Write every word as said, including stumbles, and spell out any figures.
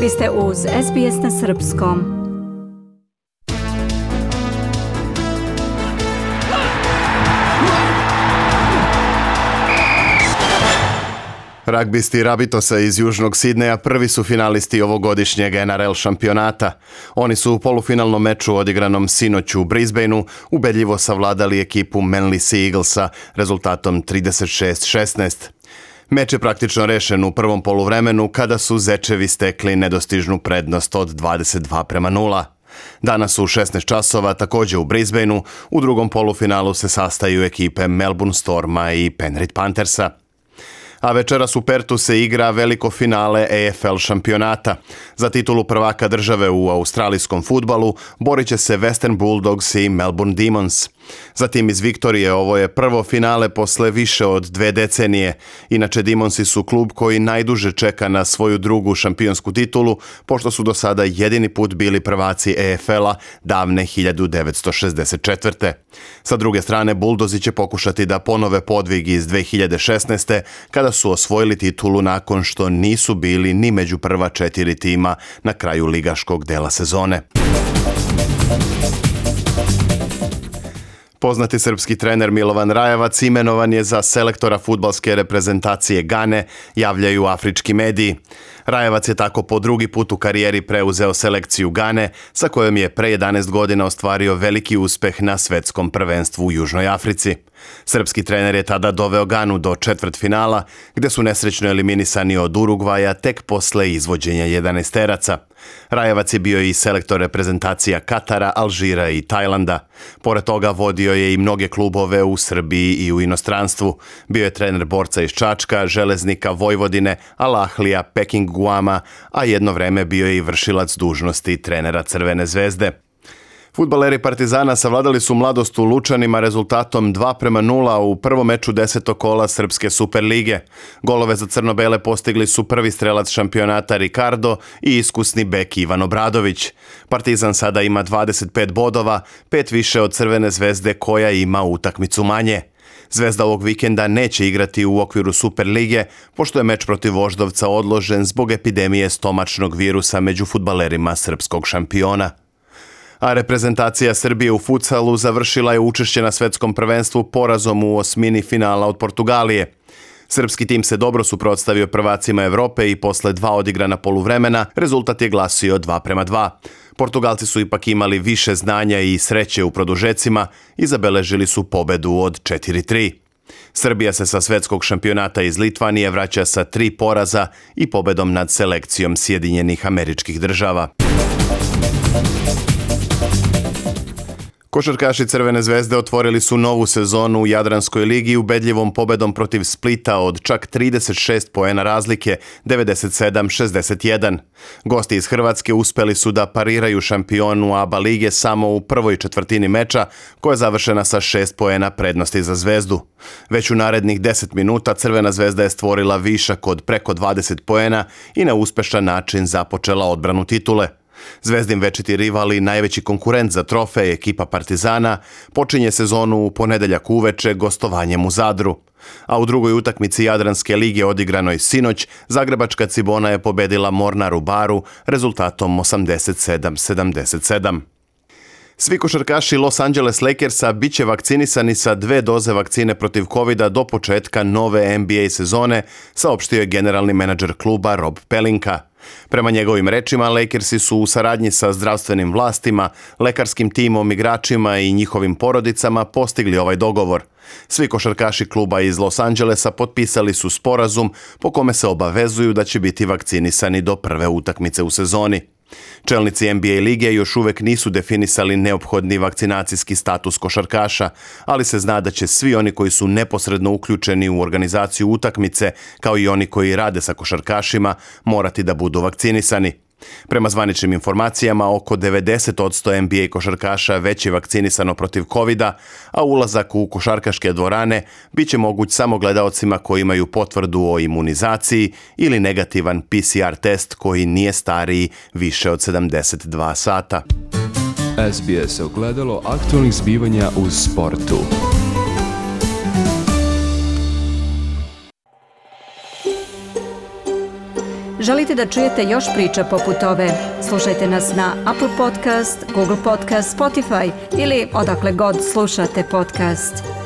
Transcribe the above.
Vi ste uz S B S na srpskom. Ragbisti Rabitosa iz Južnog Sidneja prvi su finalisti ovogodišnjeg N R L šampionata. Oni su u polufinalnom meču odigranom sinoć u Brisbaneu ubedljivo savladali ekipu Manly Sea Eaglesa rezultatom trideset šest šesnaest. Meč je praktično rešen u prvom poluvremenu kada su Zečevi stekli nedostižnu prednost od dvadeset dva prema nula. Danas u šesnaest časova također u Brisbaneu u drugom polufinalu se sastaju ekipe Melbourne Storma i Penrith Panthersa. A večeras u Pertu se igra veliko finale A F L šampionata. Za titulu prvaka države u australijskom fudbalu borit će se Western Bulldogs i Melbourne Demons. Za tim iz Viktorije ovo je prvo finale posle više od dve decenije. Inače, Demonsi su klub koji najduže čeka na svoju drugu šampionsku titulu, pošto su do sada jedini put bili prvaci A F L-a davne hiljadu devetsto šezdeset četvrte. Sa druge strane, Bulldozi će pokušati da ponove podvig iz dve hiljade šesnaeste. kada su osvojili titulu nakon što nisu bili ni među prva četiri tima na kraju ligaškog dela sezone. Poznati srpski trener Milovan Rajevac imenovan je za selektora fudbalske reprezentacije Gane, javljaju afrički mediji. Rajevac je tako po drugi put u karijeri preuzeo selekciju Gane, sa kojom je pre jedanaest godina ostvario veliki uspeh na svetskom prvenstvu u Južnoj Africi. Srpski trener je tada doveo Ganu do četvrtfinala, gde su nesrećno eliminisani od Urugvaja tek posle izvođenja jedanaesteraca. Rajevac je bio i selektor reprezentacija Katara, Alžira i Tajlanda. Pored toga vodio je i mnoge klubove u Srbiji i u inostranstvu. Bio je trener Borca iz Čačka, Železnika Vojvodine, Al Ahlija, Peking Guama, a jedno vreme bio je i vršilac dužnosti trenera Crvene zvezde. Fudbaleri Partizana savladali su Mladost u Lučanima rezultatom dva prema nula u prvom meču desetog kola Srpske Superlige. Golove za crno-bele postigli su prvi strelac šampionata Ricardo i iskusni bek Ivan Obradović. Partizan sada ima dvadeset pet bodova, pet više od Crvene zvezde koja ima utakmicu manje. Zvezda ovog vikenda neće igrati u okviru Superlige, pošto je meč protiv Voždovca odložen zbog epidemije stomačnog virusa među fudbalerima srpskog šampiona. A reprezentacija Srbije u futsalu završila je učešće na svetskom prvenstvu porazom u osmini finala od Portugalije. Srpski tim se dobro suprotstavio prvacima Evrope i posle dva odigrana poluvremena rezultat je glasio dva prema dva. Portugalci su ipak imali više znanja i sreće u produžecima i zabeležili su pobedu od četiri tri. Srbija se sa svetskog šampionata iz Litvanije vraća sa tri poraza i pobedom nad selekcijom Sjedinjenih Američkih Država. Košarkaši Crvene zvezde otvorili su novu sezonu u Jadranskoj ligi ubedljivom pobedom protiv Splita od čak trideset šest poena razlike, devedeset sedam šezdeset jedan. Gosti iz Hrvatske uspeli su da pariraju šampionu A B A lige samo u prvoj četvrtini meča, koja je završena sa šest poena prednosti za Zvezdu. Već u narednih deset minuta Crvena zvezda je stvorila višak od preko dvadeset poena i na uspešan način započela odbranu titule. Zvezdin večiti rival i najveći konkurent za trofej, ekipa Partizana, počinje sezonu u ponedeljak uveče gostovanjem u Zadru. A u drugoj utakmici Jadranske lige odigranoj sinoć, zagrebačka Cibona je pobedila Mornar u Baru rezultatom osamdeset sedam sedamdeset sedam. Svi košarkaši Los Angeles Lakersa bit će vakcinisani sa dve doze vakcine protiv kovida do početka nove N B A sezone, saopštio je generalni menadžer kluba Rob Pelinka. Prema njegovim rečima, Lakersi su u saradnji sa zdravstvenim vlastima, lekarskim timom, igračima i njihovim porodicama postigli ovaj dogovor. Svi košarkaši kluba iz Los Angelesa potpisali su sporazum po kome se obavezuju da će biti vakcinisani do prve utakmice u sezoni. Čelnici N B A lige još uvek nisu definisali neophodni vakcinacijski status košarkaša, ali se zna da će svi oni koji su neposredno uključeni u organizaciju utakmice, kao i oni koji rade sa košarkašima, morati da budu vakcinisani. Prema zvaničnim informacijama, oko devedeset posto N B A košarkaša već je vakcinisano protiv kovida, a ulazak u košarkaške dvorane bit će moguć samo gledaocima koji imaju potvrdu o imunizaciji ili negativan P C R test koji nije stariji više od sedamdeset dva sata. S B S ogledalo aktualnih zbivanja u sportu. Želite da čujete još priča poput ove? Slušajte nas na Apple Podcast, Google Podcast, Spotify ili odakle god slušate podcast.